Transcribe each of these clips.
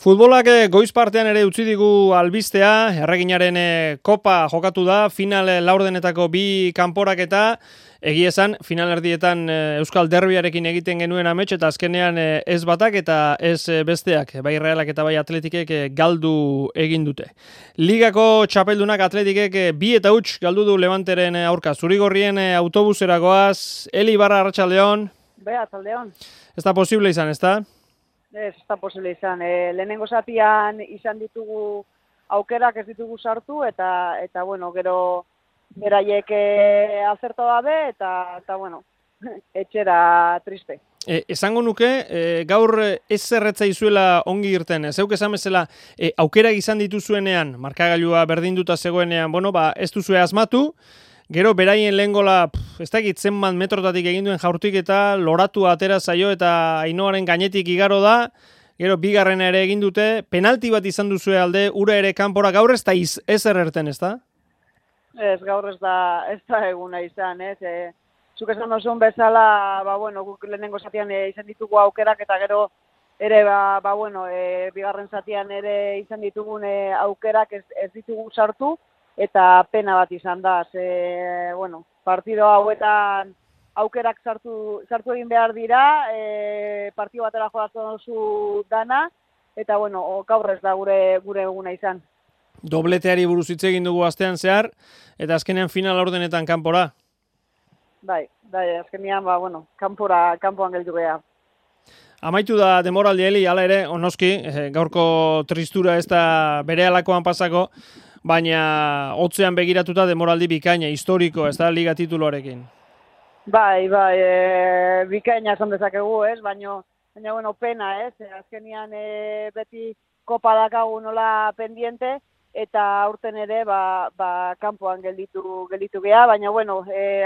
Futbolak goiz partean ere utzi digu albistea, Erreginaren kopa jokatu da, final laurdenetako bi kanporaketa, egia esan, final erdietan Euskal Derbiarekin egiten genuen amets eta azkenean ez batak eta ez besteak, bai Realak eta bai Atletikek galdu egin dute. Ligako txapeldunak Atletikek 2-0 galdu du Levanteren aurka. Zurigorrien autobusera goaz, Eli Barra, arratsaldeon. Arratsaldeon. Ez da posible izan, ez da? Ez da posible izan. Lehenengo zatian izan ditugu aukerak ez ditugu sartu eta bueno, gero beraiek azertu gabe eta bueno, etxera triste. Esango nuke, gaur ez zerretza izuela ongi irten. Zeuk esan bezala, aukerak izan dituzuenean, markagailua berdinduta zegoenean, ez duzue asmatu, gero beraien lehen gola, ez dakit zenbat metrotatik egin duen jaurtik eta loratu atera zaio eta Ainoaren gainetik igaro da, gero bigarrena ere egin dute, penalti bat izan duzue alde, ura ere kanpora, gaur ez da ezer erten, ez da? Ez, gaur ez da eguna izan, ez? Zuk esan duzun bezala, guk lehenengo zatian izan ditugu aukerak eta gero ere, bigarren zatian ere izan ditugun aukerak ez ditugu sartu, eta pena bat izan da, partido hauetan aukerak sartu egin behar dira, partido batera jodatzen duzu dana, eta gaur ez da gure eguna izan. Dobleteari buruz hitz egin dugu astean zehar, eta azkenean final laurdenetan kanpora. Bai, azkenean, kanpoan gelditu geha. Amaitu da demoraldi, Eli, hala ere, onoski, gaurko tristura ez da bere alakoan pasako, baina hotzean begiratuta demoraldi bikaina, historiko, ez da, liga tituloarekin. Bai, bikaina esan dezakegu, ez, baina pena, ez, azkenean beti kopa dakagu nola pendiente, eta aurten ere, kanpoan gelditu geha, baina,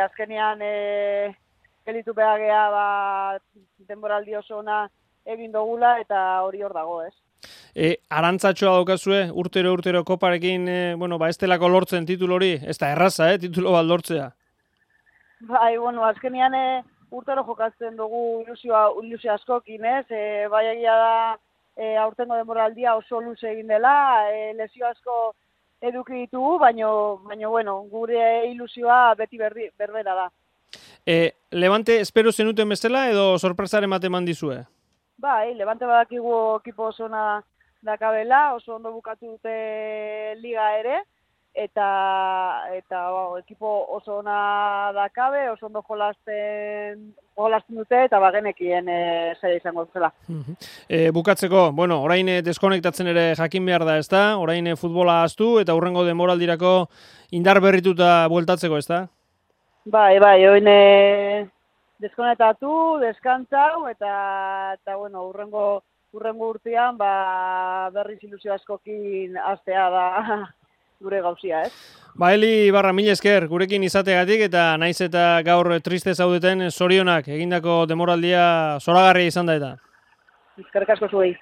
azkenean gelditu behar geha, denboraldi oso ona egin dugula, eta hori hor dago, ez. Arantzatxoa daukazue, urtero koparekin, ez delako lortzen titulu hori, ez da erraza, titulu bat lortzea. Bai, azkenean urtero jokatzen dugu ilusio askokin, ez? Bai egia da, aurtengo denboraldia oso luze egin dela, lesio asko eduki ditugu, baina gure ilusioa beti berbera da. Levante espero zenuten bezala edo sorpresaren bat eman dizue? Bai, Levante badakigu ekipo oso ona dakabela, oso ondo bukatu dute liga ere, eta ekipo oso ona dakabe, oso ondo jolasten dute, eta genekien zaila izango zela. Bukatzeko, orain deskonektatzen ere jakin behar da, ez da? Orain futbola ahaztu eta hurrengo denboraldirako indar berrituta bueltatzeko, ez da? Bai, orain deskonektatu, deskantzau, eta hurrengo urtean, berriz ilusio askokin hastea da gure gauzia, ez? Eli Barra, mila esker, gurekin izategatik, eta naiz eta gaur triste zaudeten zorionak, egindako demoraldia zoragarria izan da eta. Eskerrik asko zuei.